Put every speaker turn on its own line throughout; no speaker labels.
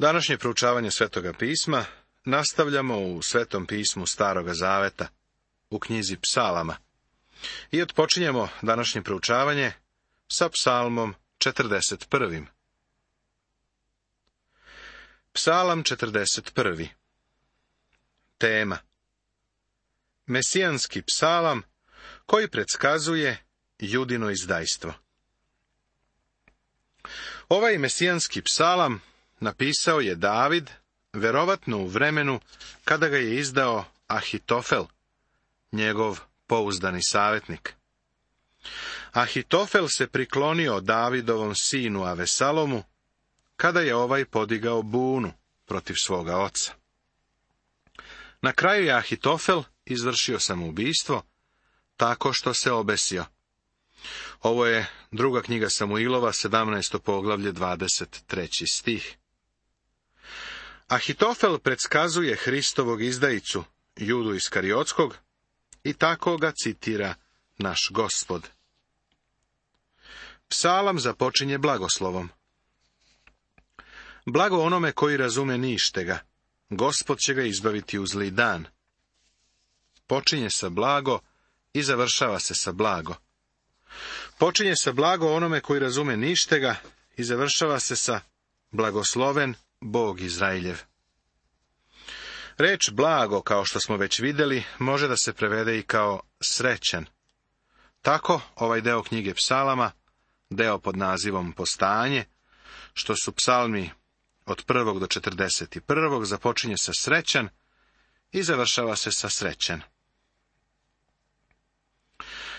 Današnje proučavanje Svetoga pisma nastavljamo u Svetom pismu Staroga zaveta, u knjizi Psalama. I otpočinjemo današnje proučavanje sa Psalmom 41. Psalam 41. Tema: Mesijanski psalam koji predskazuje Judino izdajstvo. Ovaj mesijanski psalam napisao je David, verovatno u vremenu kada ga je izdao Ahitofel, njegov pouzdani savjetnik. Ahitofel se priklonio Davidovom sinu Avesalomu kada je ovaj podigao bunu protiv svoga oca. Na kraju je Ahitofel izvršio samoubistvo tako što se obesio. Ovo je druga knjiga Samuilova, 17. poglavlje, 23. stih. Ahitofel predskazuje Hristovog izdajicu, Judu Iskariotskog, i tako ga citira naš Gospod. Psalam započinje blagoslovom. Blago onome koji razume ništega, Gospod će ga izbaviti u zli dan. Počinje sa blago i završava se sa blago. Počinje sa blago onome koji razume ništega i završava se sa blagosloven Bog Izrailjev. Reč blago, kao što smo već vidjeli, može da se prevede i kao srećan. Tako, ovaj deo knjige Psalama, deo pod nazivom Postanje, što su psalmi od 1. do 41. započinje sa srećan i završava se sa srećan.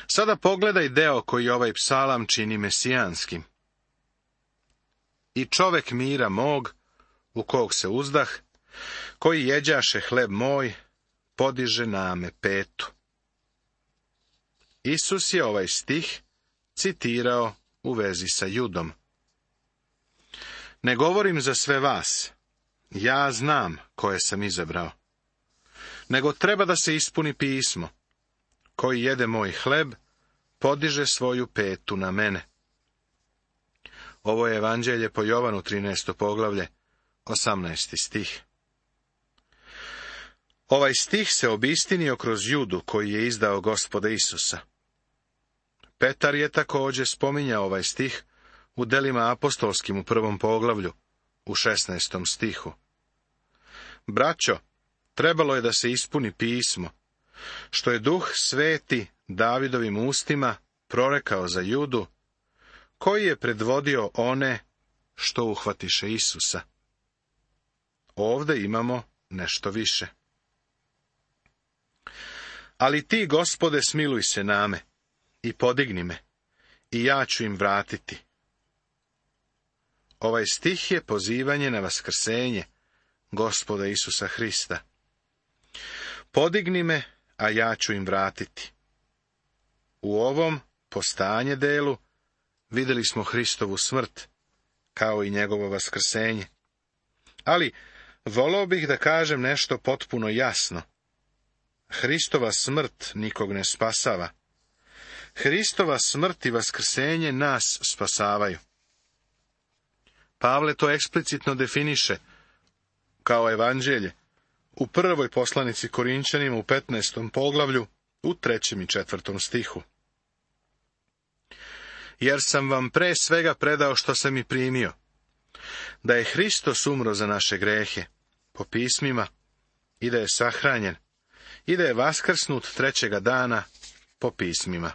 Sada pogledaj deo koji ovaj psalam čini mesijanskim. I čovek mira mog, u kog se uzdah, koji jeđaše hleb moj, podiže na me petu. Isus je ovaj stih citirao u vezi sa Judom. Ne govorim za sve vas, ja znam koje sam izabrao, nego treba da se ispuni pismo. Koji jede moj hleb, podiže svoju petu na mene. Ovo je evanđelje po Jovanu, 13. poglavlje, 18. stih. Ovaj stih se obistinio kroz Judu koji je izdao Gospoda Isusa. Petar je također spominjao ovaj stih u delima apostolskim u 1. poglavlju, u 16. stihu. Braćo, trebalo je da se ispuni pismo, što je Duh Sveti Davidovim ustima prorekao za Judu, koji je predvodio one što uhvatiše Isusa. Ovde imamo nešto više. Ali ti, Gospode, smiluj se name i podigni me, i ja ću im vratiti. Ovaj stih je pozivanje na vaskrsenje Gospoda Isusa Hrista. Podigni me, a ja ću im vratiti. U ovom postanje delu vidjeli smo Hristovu smrt, kao i njegovo vaskrsenje. Ali voleo bih da kažem nešto potpuno jasno. Hristova smrt nikog ne spasava. Hristova smrt i vaskrsenje nas spasavaju. Pavle to eksplicitno definiše kao evanđelje u prvoj poslanici Korinčanima u 15. poglavlju u 3. i 4. stihu. Jer sam vam pre svega predao što sam i primio, da je Hristos umro za naše grehe, po pismima, i da je sahranjen, i da je vaskrsnut trećega dana, po pismima.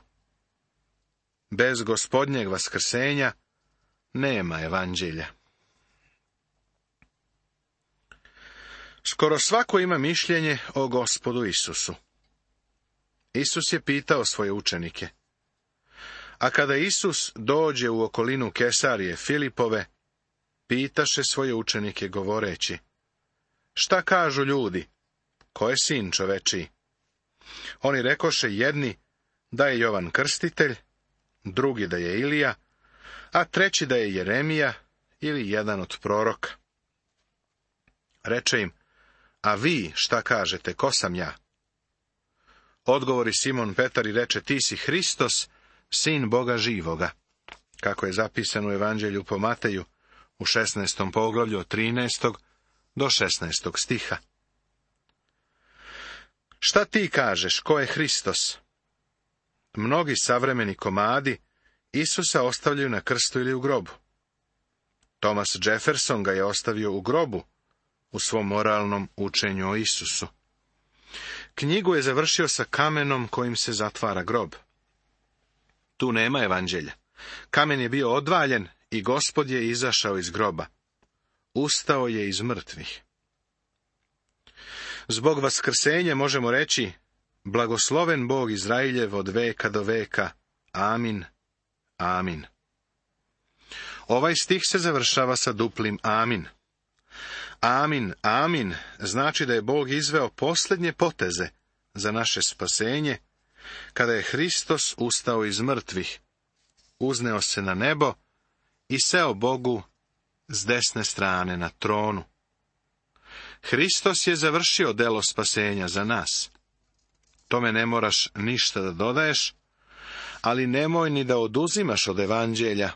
Bez Gospodnjeg vaskrsenja nema evanđelja. Skoro svako ima mišljenje o Gospodu Isusu. Isus je pitao svoje učenike. A kada Isus dođe u okolinu Kesarije Filipove, pitaše svoje učenike govoreći: šta kažu ljudi, ko je sin čovečiji? Oni rekoše jedni da je Jovan Krstitelj, drugi da je Ilija, a treći da je Jeremija ili jedan od proroka. Reče im: a vi šta kažete, ko sam ja? Odgovori Simon Petar i reče: ti si Hristos, sin Boga živoga, kako je zapisano u Evanđelju po Mateju u 16. poglavlju od 13. do 16. stiha. Šta ti kažeš, ko je Hristos? Mnogi savremeni komadi Isusa ostavljaju na krstu ili u grobu. Thomas Jefferson ga je ostavio u grobu u svom moralnom učenju o Isusu. Knjigu je završio sa kamenom kojim se zatvara grob. Tu nema evanđelja. Kamen je bio odvaljen i Gospod je izašao iz groba. Ustao je iz mrtvih. Zbog vaskrsenja možemo reći: blagosloven Bog Izrailjev od veka do veka. Amin. Amin. Ovaj stih se završava sa duplim amin. Amin, amin, znači da je Bog izveo posljednje poteze za naše spasenje, kada je Hristos ustao iz mrtvih, uzneo se na nebo i seo Bogu s desne strane na tronu. Hristos je završio delo spasenja za nas. Tome ne moraš ništa da dodaješ, ali nemoj ni da oduzimaš od evanđelja,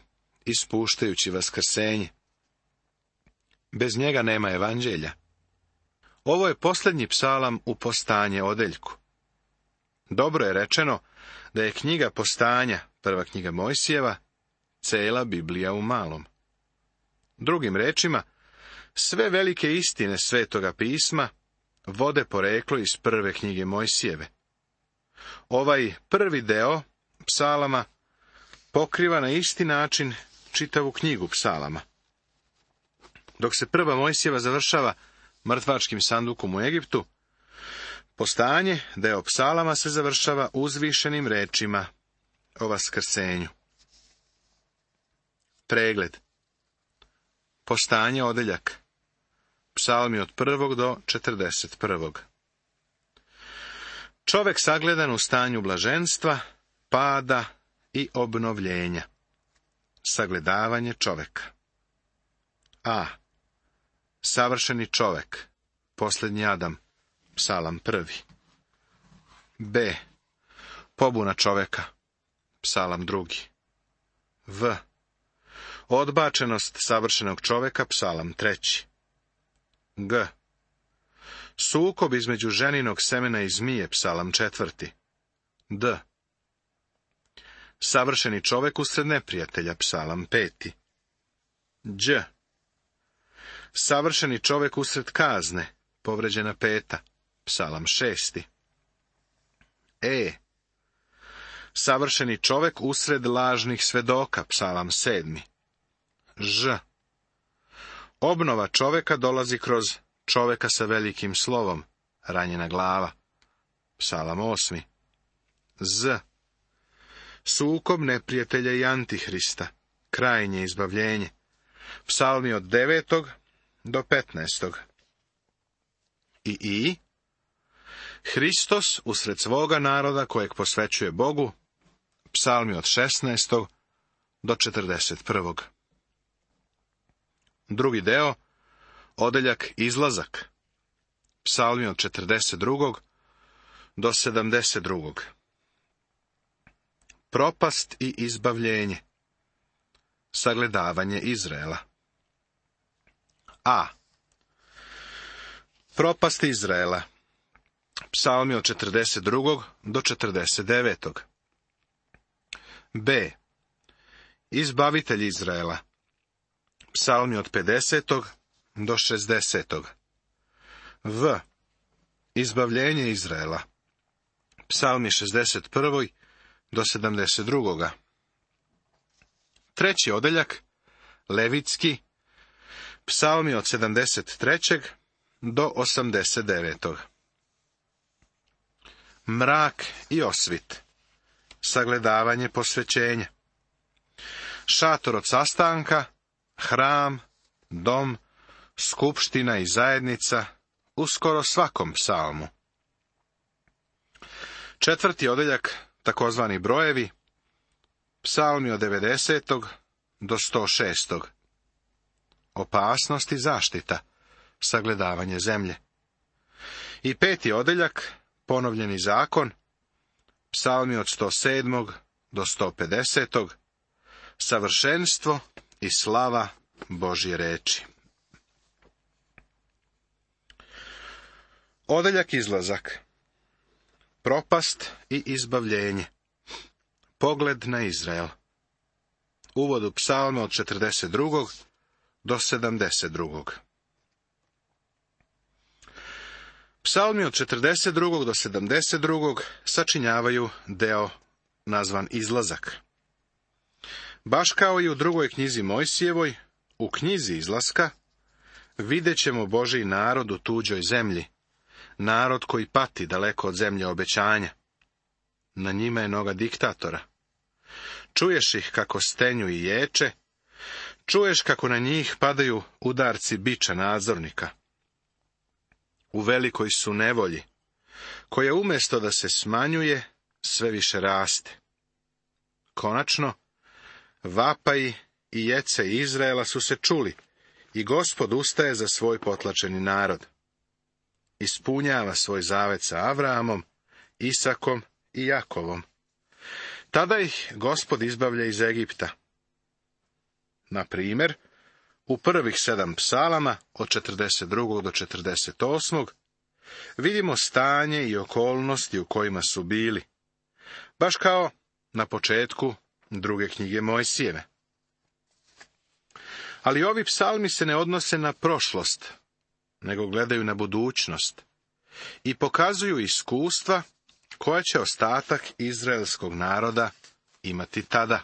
ispuštajući vaskrsenje. Bez njega nema evanđelja. Ovo je posljednji psalam u Postanje odeljku. Dobro je rečeno da je knjiga Postanja, prva knjiga Mojsijeva, cela Biblija u malom. Drugim rečima, sve velike istine Svetoga pisma vode poreklo iz prve knjige Mojsijeve. Ovaj prvi deo psalama pokriva na isti način čitavu knjigu psalama. Dok se prva Mojsijeva završava mrtvačkim sandukom u Egiptu, Postanje, deo psalama, se završava uzvišenim rečima o vaskrsenju. Pregled. Postanje odeljak. Psalmi od 1. do 41. Čovek sagledan u stanju blaženstva, pada i obnovljenja. Sagledavanje čoveka. A. Savršeni čovek, posljednji Adam, psalam 1. B. Pobuna čoveka, psalam 2. V. Odbačenost savršenog čoveka, psalam 3. G. Sukob između ženinog semena i zmije, psalam 4. D. Savršeni čovek usred neprijatelja, psalam 5. Đ. Savršeni čovek usred kazne, povređena 5. psalam 6. E. Savršeni čovek usred lažnih svedoka, psalam 7. Ž. Obnova čoveka dolazi kroz čoveka sa velikim slovom, ranjena glava, psalam 8. Z. Sukob neprijatelja i antihrista, krajnje izbavljenje, psalmi od 9. do 15. I. Hristos usred svoga naroda kojeg posvećuje Bogu, psalmi od 16. do 41. Drugi deo, odeljak Izlazak, psalmi od 42. do 72. Propast i izbavljenje, sagledavanje Izraela. A. Propast Izraela, psalmi od 42. do 49. B. Izbavitelj Izraela, psalmi od 50. do 60. V. Izbavljenje Izraela, psalmi 61. do 72. Treći odeljak, Levitski, psalmi od 73. do 89. Mrak i osvit, sagledavanje posvećenja. Šator od sastanka, hram, dom, skupština i zajednica u skoro svakom psalmu. Četvrti odeljak, takozvani brojevi, psalmi od 90. do 106. Opasnost i zaštita, sagledavanje zemlje. I peti odeljak, ponovljeni zakon, psalmi od 107. do 150. Savršenstvo i slava Božje reči. Odeljak izlazak. Propast i izbavljenje. Pogled na Izrael. Uvod u psalme od 42. do 72. Psalmi od 42. do 72. sačinjavaju deo nazvan Izlazak. Baš kao i u drugoj knjizi Mojsijevoj, u knjizi Izlaska, vidjet ćemo Božji narod u tuđoj zemlji, narod koji pati daleko od zemlje obećanja. Na njima je noga diktatora. Čuješ ih kako stenju i ječe, čuješ kako na njih padaju udarci biča nadzornika. U velikoj su nevolji, koja umjesto da se smanjuje, sve više raste. Konačno, vapaji i jece Izraela su se čuli i Gospod ustaje za svoj potlačeni narod. Ispunjava svoj zavet sa Avraamom, Isakom i Jakovom. Tada ih Gospod izbavlja iz Egipta. Na primjer, u prvih 7 psalama, od 42. do 48. vidimo stanje i okolnosti u kojima su bili, baš kao na početku druge knjige Mojsijeve. Ali ovi psalmi se ne odnose na prošlost, nego gledaju na budućnost i pokazuju iskustva koja će ostatak izraelskog naroda imati tada.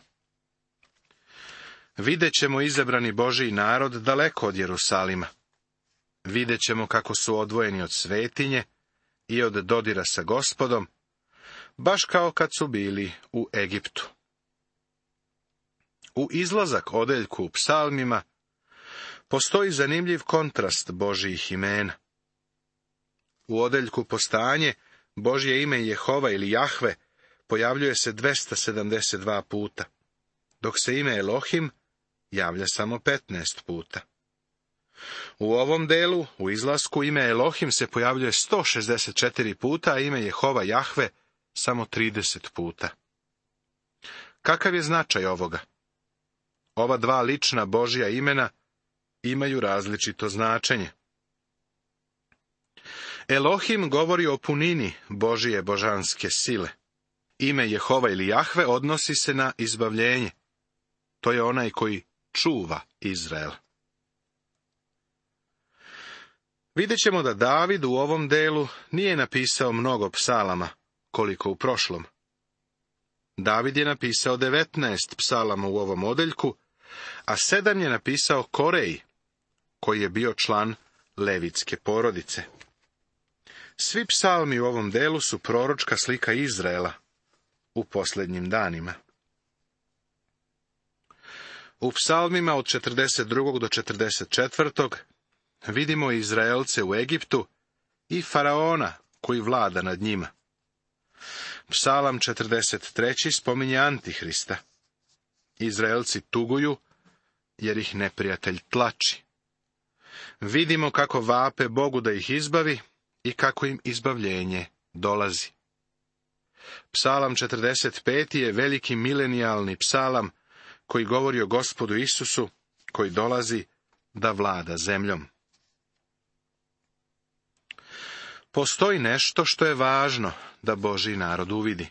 Vidjet ćemo izabrani Božji narod daleko od Jerusalima. Vidjet ćemo kako su odvojeni od svetinje i od dodira sa Gospodom, baš kao kad su bili u Egiptu. U izlazak odeljku u psalmima postoji zanimljiv kontrast Božjih imena. U odeljku Postanje Božje ime Jehova ili Jahve pojavljuje se 272 puta, dok se ime Elohim javlja samo 15 puta. U ovom delu, u izlasku, ime Elohim se pojavljuje 164 puta, a ime Jehova Jahve samo 30 puta. Kakav je značaj ovoga? Ova dva lična Božja imena imaju različito značenje. Elohim govori o punini Božije božanske sile. Ime Jehova ili Jahve odnosi se na izbavljenje. To je onaj koji čuva Izrael. Vidjet ćemo da David u ovom delu nije napisao mnogo psalama, koliko u prošlom. David je napisao 19 psalama u ovom odeljku, a 7 je napisao Koreji, koji je bio član levitske porodice. Svi psalmi u ovom delu su proročka slika Izraela u posljednjim danima. U psalmima od 42. do 44. vidimo Izraelce u Egiptu i faraona koji vlada nad njima. Psalam 43. spominje Antihrista. Izraelci tuguju jer ih neprijatelj tlači. Vidimo kako vape Bogu da ih izbavi i kako im izbavljenje dolazi. Psalam 45. je veliki milenijalni psalam koji govori o Gospodu Isusu, koji dolazi da vlada zemljom. Postoji nešto što je važno da Božji narod uvidi,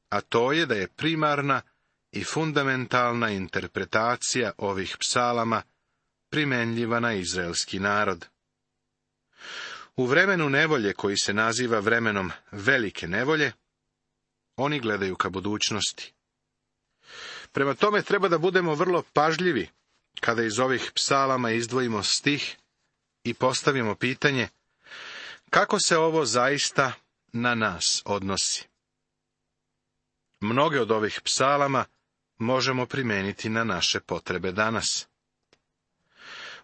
a to je da je primarna i fundamentalna interpretacija ovih psalama primenljiva na izraelski narod. U vremenu nevolje, koji se naziva vremenom velike nevolje, oni gledaju ka budućnosti. Prema tome treba da budemo vrlo pažljivi kada iz ovih psalama izdvojimo stih i postavimo pitanje kako se ovo zaista na nas odnosi. Mnoge od ovih psalama možemo primijeniti na naše potrebe danas.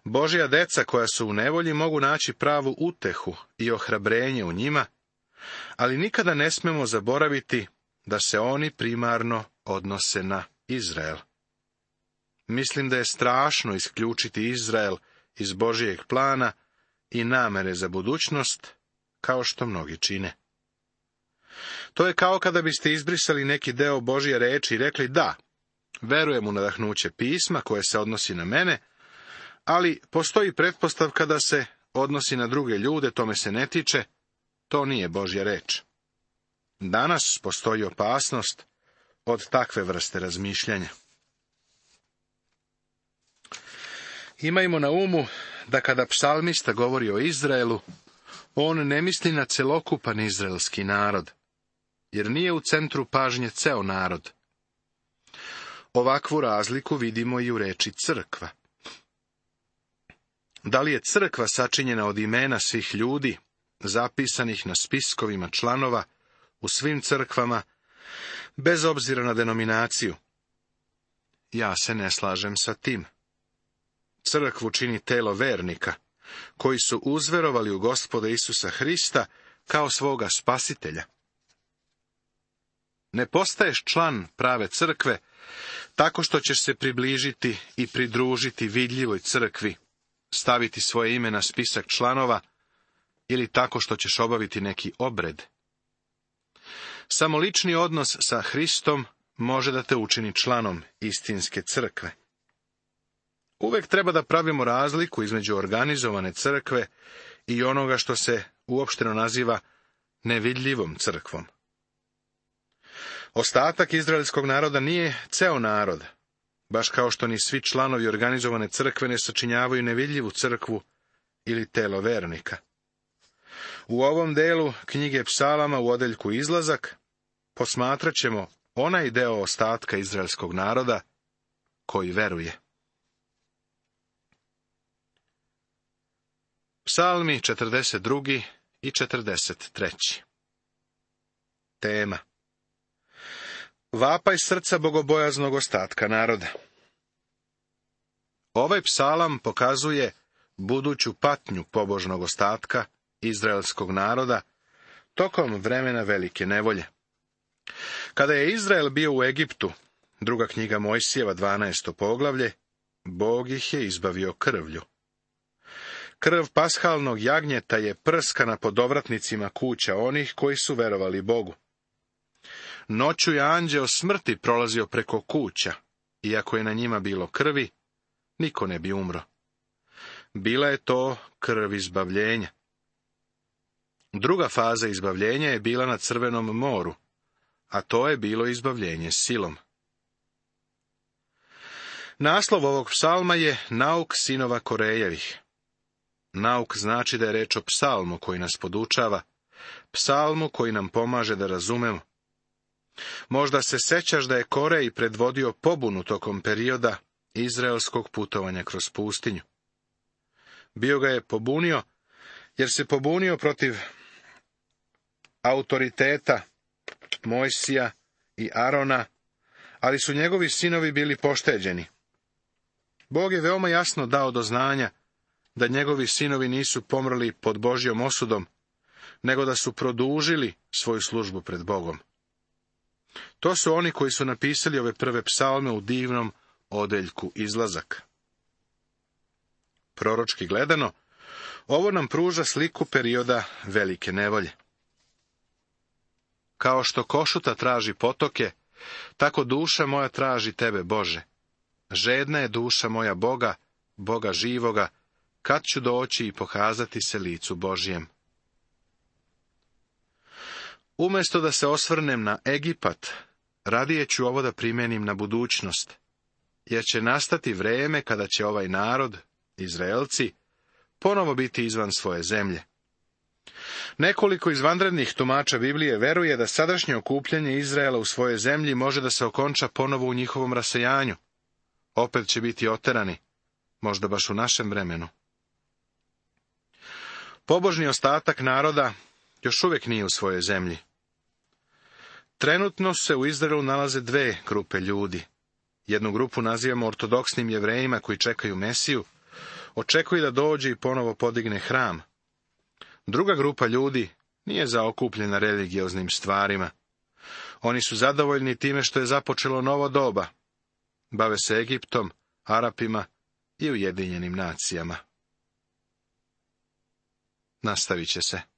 Božja deca koja su u nevolji mogu naći pravu utehu i ohrabrenje u njima, ali nikada ne smemo zaboraviti da se oni primarno odnose na Izrael. Mislim da je strašno isključiti Izrael iz Božijeg plana i namere za budućnost, kao što mnogi čine. To je kao kada biste izbrisali neki deo Božje reči i rekli da, verujem u nadahnuće pisma koje se odnosi na mene, Ali postoji pretpostavka da se odnosi na druge ljude, tome se ne tiče, to nije Božja reč. Danas postoji opasnost od takve vrste razmišljanja. Imajmo na umu da kada psalmista govori o Izraelu, on ne misli na celokupan izraelski narod, jer nije u centru pažnje ceo narod. Ovakvu razliku vidimo i u reči crkva. Da li je crkva sačinjena od imena svih ljudi, zapisanih na spiskovima članova u svim crkvama, bez obzira na denominaciju? Ja se ne slažem sa tim. Crkvu čini telo vernika, koji su uzverovali u Gospoda Isusa Hrista kao svoga spasitelja. Ne postaješ član prave crkve tako što ćeš se približiti i pridružiti vidljivoj crkvi, staviti svoje ime na spisak članova ili tako što ćeš obaviti neki obred. Samo lični odnos sa Hristom može da te učini članom istinske crkve. Uvek treba da pravimo razliku između organizovane crkve i onoga što se uopšteno naziva nevidljivom crkvom. Ostatak izraelskog naroda nije ceo narod, baš kao što ni svi članovi organizovane crkve ne sačinjavaju nevidljivu crkvu ili telo vernika. U ovom delu knjige Psalama u odeljku Izlazak posmatrat ćemo onaj deo ostatka izraelskog naroda koji veruje. Psalmi 42. i 43. Tema: vapaj srca bogobojaznog ostatka naroda. Ovaj psalam pokazuje buduću patnju pobožnog ostatka izraelskog naroda tokom vremena velike nevolje. Kada je Izrael bio u Egiptu, druga knjiga Mojsijeva 12. poglavlje, Bog ih je izbavio krvlju. Krv pashalnog jagnjeta je prskana po dovratnicima kuća onih koji su verovali Bogu. Noću je anđeo smrti prolazio preko kuća, iako je na njima bilo krvi, niko ne bi umro. Bila je to krv izbavljenja. Druga faza izbavljenja je bila na Crvenom moru, a to je bilo izbavljenje silom. Naslov ovog psalma je Nauk sinova Korejevih. Nauk znači da je reč o psalmu koji nas podučava, psalmu koji nam pomaže da razumemo. Možda se sećaš da je Korej predvodio pobunu tokom perioda izraelskog putovanja kroz pustinju. Bio ga je pobunio, jer se pobunio protiv autoriteta Mojsija i Arona, ali su njegovi sinovi bili pošteđeni. Bog je veoma jasno dao do znanja da njegovi sinovi nisu pomrli pod Božjom osudom, nego da su produžili svoju službu pred Bogom. To su oni koji su napisali ove prve psalme u divnom odeljku Izlazak. Proročki gledano, ovo nam pruža sliku perioda velike nevolje. Kao što košuta traži potoke, tako duša moja traži tebe, Bože. Žedna je duša moja Boga, Boga živoga, kad ću doći i pokazati se licu Božjem. Umjesto da se osvrnem na Egipat, radije ću ovo da primenim na budućnost, jer će nastati vreme kada će ovaj narod, Izraelci, ponovo biti izvan svoje zemlje. Nekoliko izvanrednih tumača Biblije veruje da sadašnje okupljanje Izraela u svojoj zemlji može da se okonča ponovo u njihovom rasejanju. Opet će biti oterani, možda baš u našem vremenu. Pobožni ostatak naroda još uvijek nije u svojoj zemlji. Trenutno se u Izraelu nalaze dve grupe ljudi. Jednu grupu nazivamo ortodoksnim Jevrejima koji čekaju Mesiju, očekuju da dođe i ponovo podigne hram. Druga grupa ljudi nije zaokupljena religioznim stvarima. Oni su zadovoljni time što je započelo novo doba. Bave se Egiptom, Arapima i Ujedinjenim nacijama. Nastavit će se.